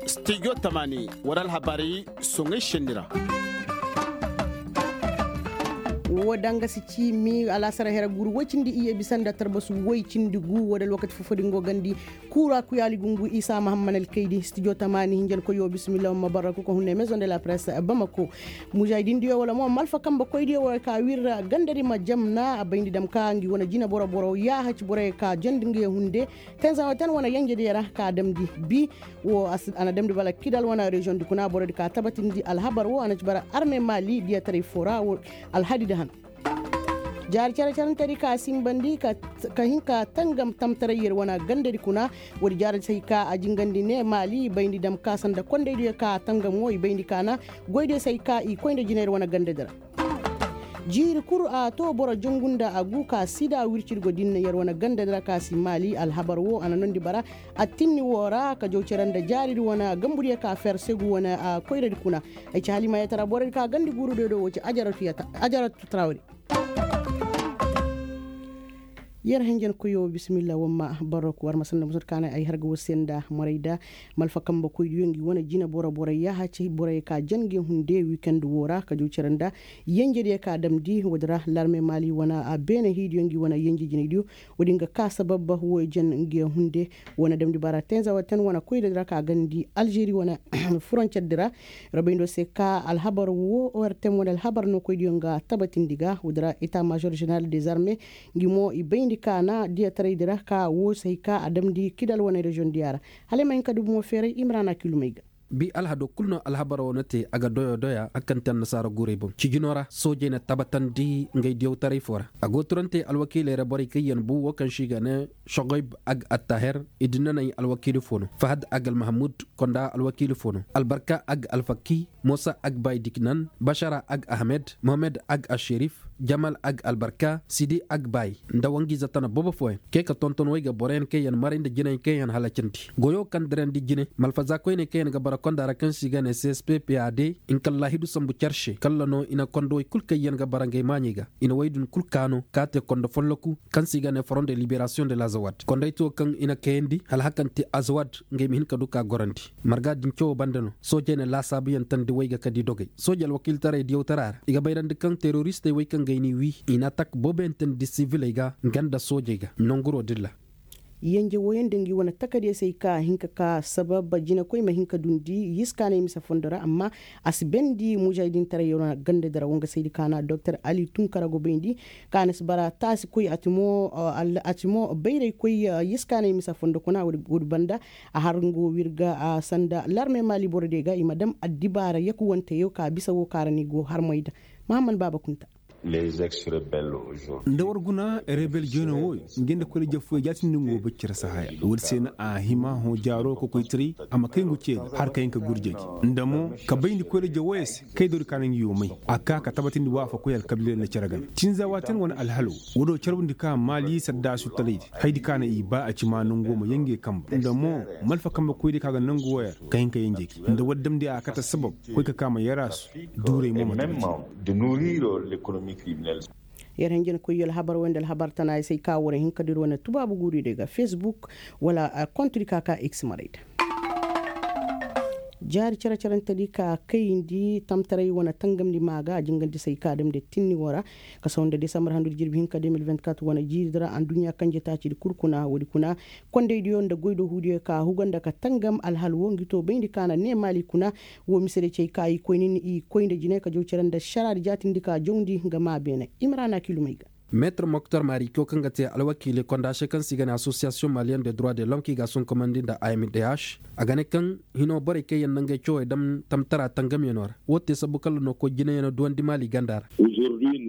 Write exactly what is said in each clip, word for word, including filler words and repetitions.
Stijo tamaani, war alhabaari soŋay senni ra. Wo danga si ci mi alaasara here guuru woy cindi iyye bisa nda tarbasu woy cindi gu wo da alwakati fofo din go gandi. Kuura kuyaali gungu isa mahamman alkaydi stijo tamaani hinjankoyo bisimilla wamma barra kuka hunne maison de la presse bamako. Mujaahidindiyo wala mo malfa kambe koydiyo wo ka wirra gandari ma jamna a bayndi dam ka ngi wane jina boro boro yaahaci boroyo ka jandi ngiyo hunde. Tenzaŋo ten wane yenjediyo ra ka damndi bi wo a na damndi bala kidal wane reziyoŋ di kuna borodi ka tabatindi alhabar wo a na ci bara arme maali diyataray fo ra wo. Alhadi da han jaari care carante di ka simbandi ka hin ka tangam tamtaray yer wane ganda di kuna. Woodi jaari say ka a jingandi ne maali i bayndi dam ka sanda kondaydiyo ka tangam wo i bayndi ka na goydiyo say ka i koy nda jina yer wane ganda di ra. Jiiri kul a to boro jongu nda a gu ka sida wircirgo din yer wane ganda di ra ka si maali alhabar wo a na nondi bara. Attinni wo ra ka jaw cere nda jaari di wane gambudiyo ka fer segu wane koyradi kuna. Ay ci halimayatara borodi ka gandi guurudiyo do wo ci ajaratu trawri. Yer henjen koyo bisimilla wamma barok war ma sanda musur kaanay ay harga wo se nda moray da. Malfa kambe koydiyo ngi wane jina boro boro yaahaci borey ka jan nge hunde wikend wo ra ka jaw cere nda yenjediyo ka damndi woodi ra larme maali wane a beene hiidiyo ngi wane yenje jinaydiyo. Woodi nga ka sabab wo jan nge hunde wane damndi bara tenza wo ten wane koyda di ra ka gandi alžeri wane furoncer di ra. Robayndo se ka alhabar wo ortem wane alhabar no koydiyo nga tabatindi ga woodi ra eta major general des armes. Ngi mo i bayndi ka na diyataray di ra ka wo se hay ka a damndi kidal wane reziyoŋ diya ra. Hala ay ma hin ka dubu mo feeray imrana kilumey ga. Bi alhado kul no alhabar wo na te a ga doyo doya a kaŋ te annasaara guurey boŋ cijino ra soojey na tabatandi ngay diyawtaray fo ra. A go turante alwakiiley ra borey kaŋ yaŋ bu wo kaŋ se i ga ne sogoyb ag attaher. I dinnaney alwakiili fo no fahad ag almahamud konda alwakiili fo no albarka ag alfakki, mosa ag baydiknan, bashara ag ahmed, mohamed ag asherif, jamal ag albarka, sidi ag bay, nda wangiize tana boobo fooyaŋ. Kay ka tonton way ga boroyaŋ kaŋ yaŋ maray nda jinayaŋ kaŋ yaŋ halacandi goyo kaŋ dirandi jine malfaza koyney kaŋ yaŋ ga bara konda ra kaŋ se i ga ne csppad. Nkallaahidu sambu care se kalla no i na kondowey kul kaŋ yaŋ ga bara ngey maaɲey ga i na way din kul kaanu ka te kondo folloku kaŋ se i ga ne front de liberasiyoŋ de la zawad kondayto kaŋ i na kayandi hala hakante azawad. Ngey ma hin ka du ka gorandi marga din cawo banda no soojey na laasaabuyaŋ tandi way ga ka di dogey sooje alwakiiltaray diyawtara ra i ga bayrandi kaŋ teroristey wey kaŋ gay n'i wii i na atak booboyaŋ tandi siviley ga nga nda soojey ga nonguro dilla. Yenje wooyaŋ da ngi wane takadiyo se ay ka hin ka ka sabab jinekoy ma hin ka dundi yiskaanay mise fondo ra amma a si bendi mujaahidintaray wane ganda dira wo nga saydi kaana doktor ali tunkara go bayndi. Kaana si bara taasi koy a ti mo bayraykoy yiskaanay mise fondo kuna woodi banda a har nga wo wirga sanda larme maali borodiyo ga i ma dam addibaara yakuwanteyo ka bisa wo kaŋ a ra ni go harmay da. Mahammad baaba kunta. Nda war guna rebel jeno wooyo nga nda koleje fooyo jaatindi nga wo baccira sahaya woodi se na a hima hõ jaaro kokoytaray a ma kay ngu ceeda har ka hin ka gurjay nda mo ka bayndi koleje wooyo se kay dori ka na ngi yo may a ka ka tabatindi waafakoy alkabiilay nda cere gana tinza waati yaŋ wane alhalo. Woodi wo carbundi ka maali saddaasu talaydi haydi ka na i ba a ci ma nangu ma yenge kambu nda mo malfa kambe koydi ka ga nangu wooyo ra ka hin ka yenge gi nda woodi damndi a kate sabab koy ka ka ma yaraasu duuray mo ma tabati. Yer hinjin koy yo alhabar wo nda alhabar tana ay se ay ka war hin ka dir wane tubaabu guuri day ga facebook wala kontudi ka ka x maray da. Jaari care carante di ka kayndi tamtaray wane tangamndi ma ga a jingandi se ay ka damndi tinni wo ra. Kasaw nda desambar handudi jirbi hinka de mil vingt-quatre wane jiiri di ra adduɲɲa kanje taacidi kul kuna woodi kuna kondaydiyo nda goydohuudiyo ka huga nda ka tangam alhal wo ngi to bayndi ka na ne maali kuna. Wo mise day ci ay ka i koy nin i koy nda jinay ka jaw care nda ašaraadi jaatindi ka jawndi nga maa beene imrana kilumey ga. Meetir moktar maarico kaŋ ga te alwakiili kondaase kaŋ se i ga ne asosiyasiyoŋ maliyen de droit de lom kaŋ i ga a sonkomandi nda a m d h a ga ne kaŋ hino borey kaŋ yaŋ na ngey cawey dam tamtara tangamyano ra. Wo te sabu kala no koy jinayaŋo duwandi maali ganda ra.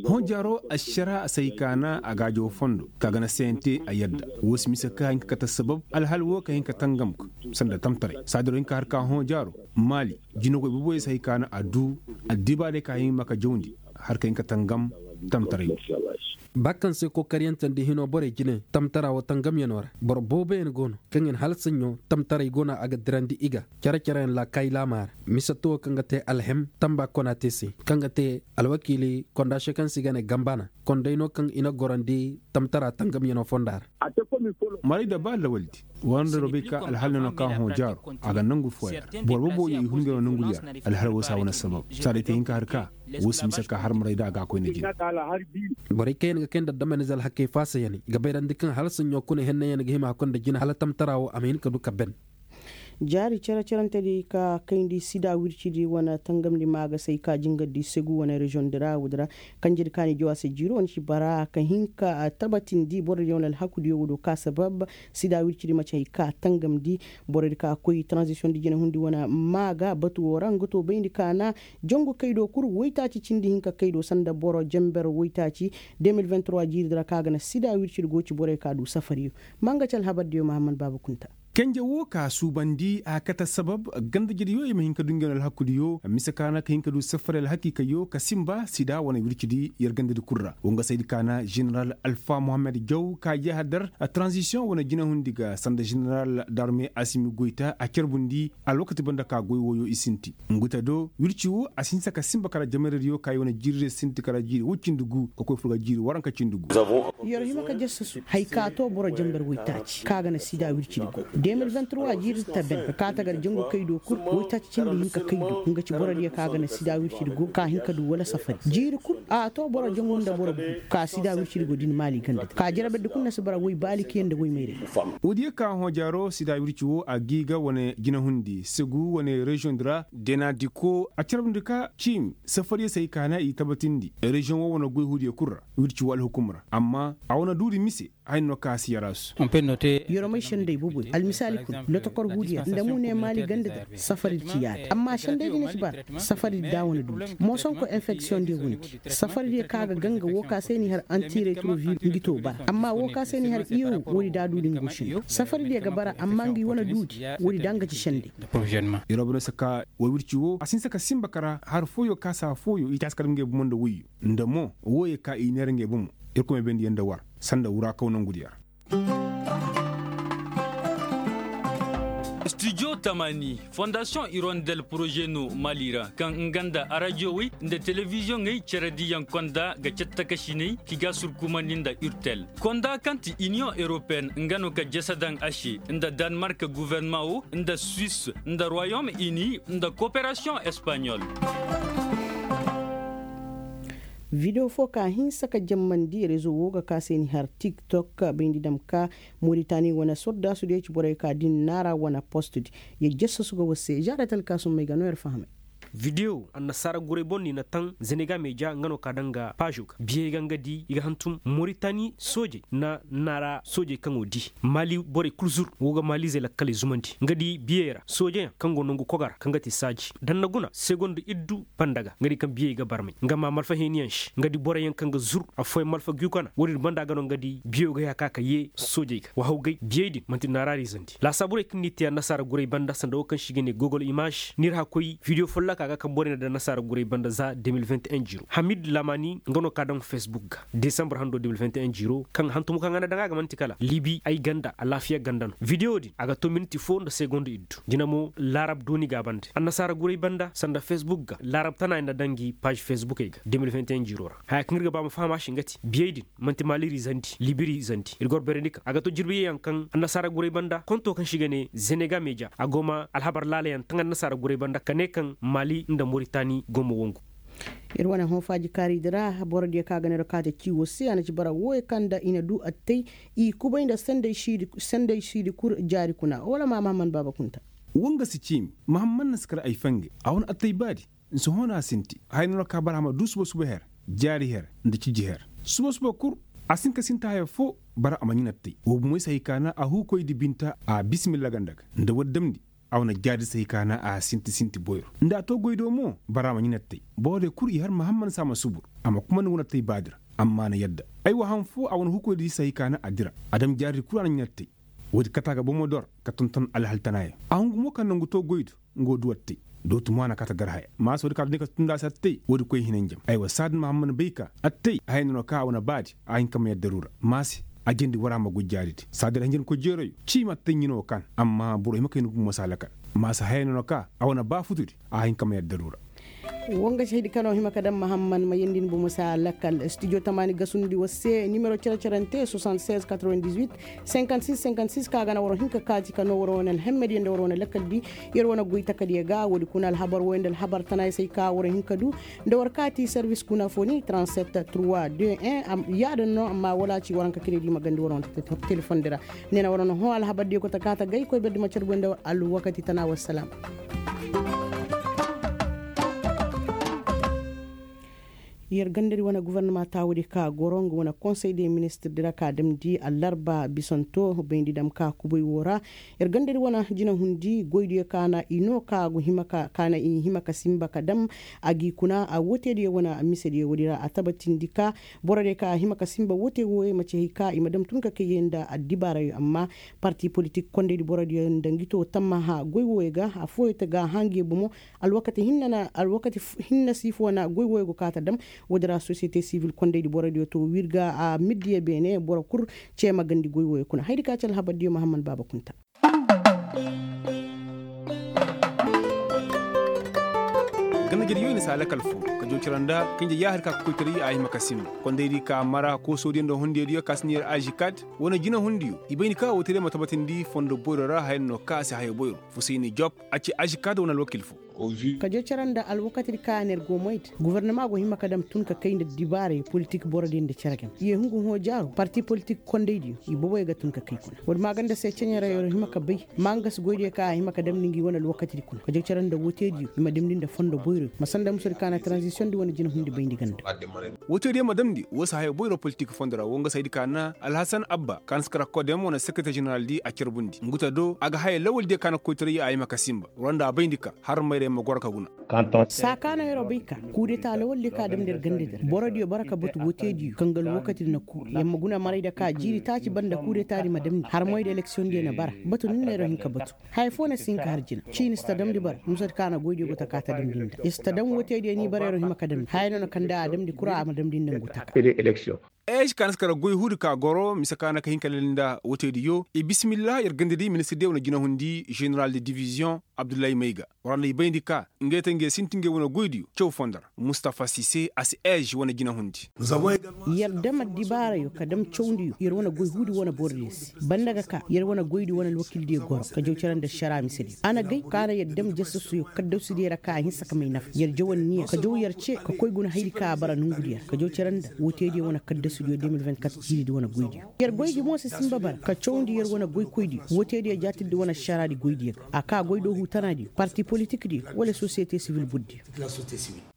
Hõ jaaro ašara a say kaana a gaajo fondo ka ga na sente a yadda. Wo si mise ka hin ka kate sabab alhal wo ka hin ka tangam ga sanda tamtaray saadiro hin ka har ka hõ jaaro maali jinagoy boboyey si hay kaana a du addibaarey ka hin ma ka jawndi har ka hin ka tangam tamtaray. Ba kaŋ se kokariyante nda hino borey jine tamtara wo tangamyano ra boro booboyaŋ go no kaŋ yaŋ hala saɲɲo tamtaray go no a ga dirandi i ga care careyaŋ laakaayi laama ra. Mise towo kaŋ ga te alhem tamba kona te se kaŋ ga te alwakiili kondaase kaŋ se i ga ne gambana konday no kaŋ i na gorandi tamtara tangamyano fonda ra. Maray da ba lawaldi War nda robey ka alhal no na ka hõ jaaro a ga nangu fooya ra boro boboyo i hun ngey no nangu diya ra. Alhal woo se a wane sabab saa day te hin ka har ka woo si mise ka har maray da a ga a koyne jina. Borey kaŋ yaŋ ga kay nda damanize alhakey faasayaney ga bayrandi kaŋ hala saɲɲo kuna hennayaŋ ga hima hakkoy nda jina hala tamtara woo a ma hin ka du ka ben. Jaari cere-cerentedi ka kayndi sida wircidi wane tangamdi maagasey ka jingardi segu wane reziyoŋdi ra woodi ra. Kanjedi ka ni jaw a se jiiro wane ci bara ka hin ka tabatindi borodiyo wane alhakudiyo woo do ka sabab sida wircidi maci hay ka tangamdi. Borodi ka koy taranzisiyoŋdi jinahundi wane maaga batu woo ra nga to bayndi ka na jangu kaydo kul woytaaci cindi hinka kaydo sanda boro jenber woytaaci. De mil vingt trois jiiridi ra ka ga na sida wircidi go ci borey ka du safariyo. Ma nga ci alhabardiyo mahammad baaba kunta. Kenje woo ka suubandi a kate sabab gandajediyo i ma hin ka du ngey no alhakudiyo mise ka na ka hin ka du safari alhakikayyo ka sinba sida wane wircidi yer gandadi kul ra wa nga saydi ka na ženeral alfa mohammed jaw ka jeehadar. Taranzisiyoŋ wane jinahundi ga sanda ženeral darme asimi goyta a carbundi alwakati banda ka goy wooyo i sinti. Nguta do wirci woo a si hinsa ka sinba kala jamaradiyo ka i wane jiiradiyo sinti kala jiiri woy cindi gu ka koy fur ga jiiri waranka cindi gu. Yer hima ka jassasu hay ka too boro jambar woytaaci ka ga na sida wircidi go de mil vingt trois jiiri taben ka kaa tagar jangu kaydo kul woytaaci cindi hinka kaydo nga ci borodiyo ka ga na sida wircidi go ka hin ka du wala safari jiiri kul a too boro jangu nda boro gu ka sida wircidi go din maali ganda ka jaraberdi kul na si bara woy baalikiyaŋ nda woy mayray. Woodiyo ka hõ jaaro sida wirci woo a gii ga wane jinahundi segu wane reziyoŋdi ra deenadiko a carbundi ka ciimi safariyo se hay ka na i tabatindi reziyoŋ woo wane goy huudiyo kul ra wirci woo alhukum ra amma a wane duudi mise. Haya no ka a si yaraasu. Yeromey sendey boboy almisaali kul lotokor huudiya nda mu ne maali ganda da safaridi ci yaadi amma sendey di na ci bara safaridi da wane duudi moosonko enfeksiyoŋ diya windi. Safaridiyo ka ga ganga woo ka se ni har antiretroviir ngi to bara amma woo ka se ni har iyow woodi da a duudi ngu sindi safaridiyo ga bara amma ngi wane duudi. Woodi da nga ci sendey. Yeroo bane se ka woo wirci woo a si hinsa ka sinba kara har fooyo ka saa fooyo i taasi kala ngey bomo nda woyyo nda mo wooyo ka i neera ngey bomo. Irkoy ma bayndi yer nda war sanda wuraakaw nongudiyo ra. Studio tamani fondasiyoŋ irondel poroze no mali ra kaŋ nga nda arajowey nda telebiziyoŋey cerediyaŋ konda ga cattakasiney ki ga surkumandi nda urtel konda kaŋ ti iniyoŋ europeyen nga no ka jasa daŋ a se nda danmark guwernama wo nda suwis nda royom ini nda koperasiyoŋ espaɲol. Video foo ka hinsa ka jammandi rezo woo ga ka se ni har tiktok bayndi dam ka moritani wane sordaasu diyo ci borey ka din naara wane postdi. Yer jassasu ga war se žaada talkaasum may ga no yer fahamay. Video annasaara guray boŋ no i na taŋ zeneega meeja nga no ka daŋ ga paazo ga biyey ga nga di i ga hantum moritani soojey na naara soojey kaŋo di maali borey kul zur woo ga maaliizey lakkaley zumandi nga di biyey ra soojeyaŋ kaŋ go nongu koga ra kaŋ ga te saaji danna guna segond iddu banda ga nga di kaŋ biyey ga barmay nga ma malfa heeniyaŋ se nga di boroyaŋ kaŋ ga zur affooyaŋ malfa guyukana woodin banda ga no nga di biyo ga ya ka ka yee soojey ga wa hawgay biyey din man'ti naaraari zandi laasaaburey kaŋ n'i te annasaara guray banda sanda wo kaŋ se i ga ne gogol imaaž n'ir hakoy bidiyo folloka ga kaŋ borey na daŋ annasaara guray banda za de mil vingt et un jiiro hamid lamani nga no ka daŋ fesbuk ga desambar hando de mil vingt et un jiiro kaŋ hantumo kaŋ a na daŋ a ga man'ti kala libi ay ganda alaafiya ganda no bidiyo din a ga to minti fo nda segond iddu jina mo laarab dooni ga a bande annasaara guray banda sanda fesbuk ga laarab tana ay na daŋ gi paaz fesbukey ga de mil vingt et un jiiro ra haya kaŋ ir ga ba ma faham a se nga ti biyey din man'ti maali ra izandi libi ra izandi ir ga war beerandi kaŋ a ga to jirbi yee yaŋ kaŋ annasaara guray banda konto kaŋ se i ga ne zenega meeja a go ma alhabar laala yaŋ taŋ annasaara guray banda ka ne kaŋ maali nda moritani go ma wangu. Ir wane hõ faaji kaari di ra boro diyo kaŋ a ga ne ir kaate ciiwo se a na ci bara wooyo kaŋ nda i na du attay i kubay nda sendey siidi kul jaari kuna wala ma mahamman baaba kunta. Woo nga si ciimi mahamman na si kar ay fangay a wane attay baadi. Nsohõ no a sinti haya no ra ka bara a ma du suba suba her jaari her nda ciji her suba suba kul. A si hin ka sinti haya foo bara a ma ɲina attay woo bumoy si hay ka na a huukoydi binta a bisimilla ganda ga nda war damndi. A wane jaari si hay ka na a sinti sinti boyro nda a to goy do mo bara a ma ɲina attay boro diyo kul i har mahamman se a ma subur a ma kumandi wane attay baadi ra. Amma a na yadda aywa han foo a wane huukoydi si hay ka na a dira a dam jaaridi kul a na ɲina attay. Woodi kate a ga bomo dor ka tonton alhal tanaayaŋ a hungu mo kaŋ nangu to goy do nga wo du attay. Dootu mo a na kaate gar haya maasa woodi kaŋ a duni ka tunda a se attay woodi koy hinanjam aywa saadin mahamman bay ka attay haya no na ka a wane baadi a hin ka ma yadda ruura maase. A jandi war a ma goy jaaridi saadin ra hinjankoy jeerayo ciima attay ɲina wo kaan amma boro hima kayna gumo si a lakal. Maase haya no na ka a wane baafutudi a hin ka ma yadda ruura. Woo nga si haydi ka no hima ka daŋ mahamman ma yeendi ni bomo se a lakkal studio tamaani gasundi war se nimero cere-cerante soixante-seize quatre-vingt-dix-huit cinquante-six cinquante-six ka ga na waroo hin ka kaati ka no waroo wane alhemmediyo nda waroo wane lakkal di. Yer wane goy takadiyo ga woodi kuna alhabar wooyo nda alhabar tana ay se ay ka waroo hin ka du nda war kaati servis kuna foo ni trente-sept trois deux un. Yaadin no amma wala ci waranka kire di ma gandi waroo wane telefondi ra. Ne na waroo wane hõ alhabar diyo kota kaata gay koy berdi ma carbu nda war alwakati tana wassalam. Yer gandadi wane gofornama taawudi ka goro nga wane konsey de ministir di ra ka damndi allarba bisanto bayndi dam ka kubay woo ra. Yer gandadi wane jinahundi goydiyo ka na i no ka go hima ka ka na i hima ka sinba ka dam a g'i kuna a wootediyo wane misediyo woodi ra a tabatindi ka borodiyo ka hima ka sinba woote wooyo ma ci hay ka i ma dam tun ka kay yee nda addibaarayo amma parti politik kondaydi borodiyo nda ngi to tammaha goy wooyo ga affooyo te ga hã ngi bomo. Alwakati hinna na alwakati hinna si foo na goy wooyo go kaa ta dam. Woodi ra sosiyete sivil kondaydi borodiyo to wirga a middiyo beene boro kul cee ma gandi goy wooyo kuna haydi ka ci alhabardiyo mahamman baaba kunta. Ganda jere yoy na si a lakal foo ka jow cere nda ka nja yaahir ka koytaray a hima ka sinba kondaydi ka mara koosoodiyo nda hundiyodiyo ka si neer ažikad wane jinahundiyo i bay ni ka woo te day ma tabatindi fondo boyro ra haya no ka a si haya boyro fusayni job. A ci ažikad wane alwakil foo. Ka jow cere nda alwakatidi ka a neer go moy da gofornama go hima ka dam tun ka kay nda dibaaray politik borodiyo nda cere game i ye hungu hõ jaaro parti politik kondaydiyo i boboyo ga tun ka kay kuna woodi maaganda se ceɲeray yer hima ka bay. Maangas goydiyo ka a hima ka damndi ngi wane alwakatidi kuna ka jow cere nda wootediyo i ma damndi nda fondo boyro ma sanda musodi ka na tranzisiyondi wane jinahundi bayndi ganda. Wootediyo ma damndi woo si haya boyro politik fondo ra woo nga si haydi ka na alhasan abba ka na si kara kodem wane sekreter ženeraldi a carbundi ngu ta do a ga haya lawaldiyo ka na koytaray a hima ka sinba roo nda a bayndi ka har mayray ma goro ka guna. Saa ka no yer'o bay ka kuudeta lawaldiyo ka damndi yer gandadi ra borodiyo bara ka batu wootediyo kaŋ ga alwakatidi na kuu yer ma guna maray nda ka jiiri taaci banda kuudetadi ma damndi har moy nda eleksiyondiyo na bara. Batu nda no yer'o hin ka batu haya foo na si hin ka har jina ciini si ta damndi bara musadi ka na goydiyo go taka ta damndi nda yer si ta dam wootediyo ni bara yer'o hima ka damndi haya no na kanda a damndi kura a ma damndi nda ngu taka. Ej ka na si kara goy huudi ka goro mise ka na ka hin ka lel nda wootediyo i bismillah yer gandadi ministirdiyo wane jinahundi ženeral de diviziyoŋ abdullahi mayga war na i bayndi ka ngey te ngey sinti ngey wane goydiyo caw fondo ra mustafa sise a si ej wane jinahundi. Yer dam addibaarayo ka dam cawndiyo yer wane goy huudi wane borodiyo se banda ga ka yer wane goydi wane alwakildiyo goro ka jaw cere nda ašara misediyo a na gay ka na yer dam jasasuyo kaddasudiyo ra ka a hinsa ka may nafa yer jaw anniya ka jaw yer ce ka koy guna haydi ka a bara nongudiyo ra ka jaw cere nda wootediyo wane kaddasudiyo de mil vingt-quatre jiiridi wane goydiyo yer goydi mo si sinba bara ka cawndi yer wane goykoydiyo wootediyo jaatirdi wane ašaraadi goydiyo ga a ka goy do huutanaadiyo parti politikdiyo wala sosiyete sivil burdiyo.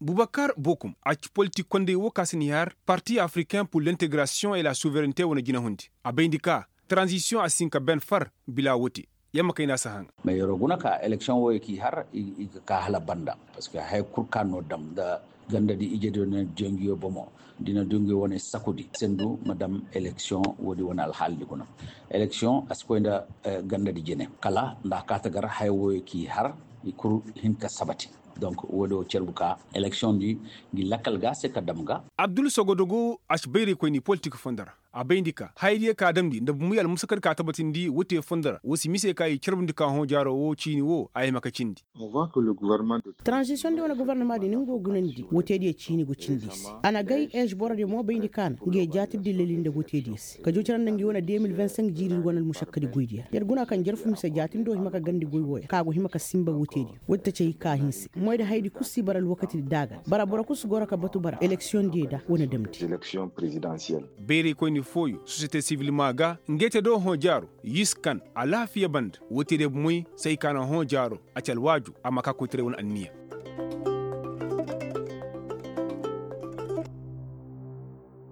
Bubakar bokum a ci politik konday woo ka si ni har parti africain pur l'integrasiyoŋ et la suverente wane jinahundi a bayndi ka taranzisiyoŋ a si hin ka ben far bila woo te. Yer ma kay nda a si haŋ. Mais yer'o guna ka eleksiyoŋ wooyo k'i har i ga ka hala banda parceque haya kul ka no dam nda gandadi ijediyo na diyo nguyo bomo da i na diyo nguyo wane sakudi sendu ma dam eleksiyoŋ woodi wane alhaalidi kuna. Eleksiyoŋ a si koy nda gandadi jine kala nda a kaa ta gar haya wooyo k'i har i kul hin ka sabati. Donc woodi woo carbu ka eleksiyoŋdi ngi lakkal ga a se ka dam ga. Abdul sogodogo a si bayraykoyni politik fondo ra a bayndi ka hayadiyo ka damndi nda bumey almusakadi ka tabatindi woo te fondo ra woo si mise ka i carbundi ka hõ jaaro woo ciini woo a hima ka cindi. Taranzisiyoŋdi wane gofornamadi ni nga go gunandi woo te diyo ciini go cindi i se a na gay ež borodiyo mo bayndi ka na nga ye jaatirdi leli nda woo te diyo se ka jaw cere nda ngi wane deux mille vingt-cinq jiiridi wane almusakkadi goydiyo ra yer guna kaŋ jarfu mise jaatindi woo hima ka gandi goy wooyo ka go hima ka sinba woo te diyo woo te cay ka hinse moy da hayadi kul si bara alwakatidi daaga bara boro kul si goro ka batu bara eleksiyoŋdiyo da wane damndi. Bayraykoyni fooyo sosiyete sivil maa ga ngey te do hõ jaaro yiskan alaafiya banda woo te diyo bumey say ka na hõ jaaro a ci alwaaju a ma ka koytaray wane anniya.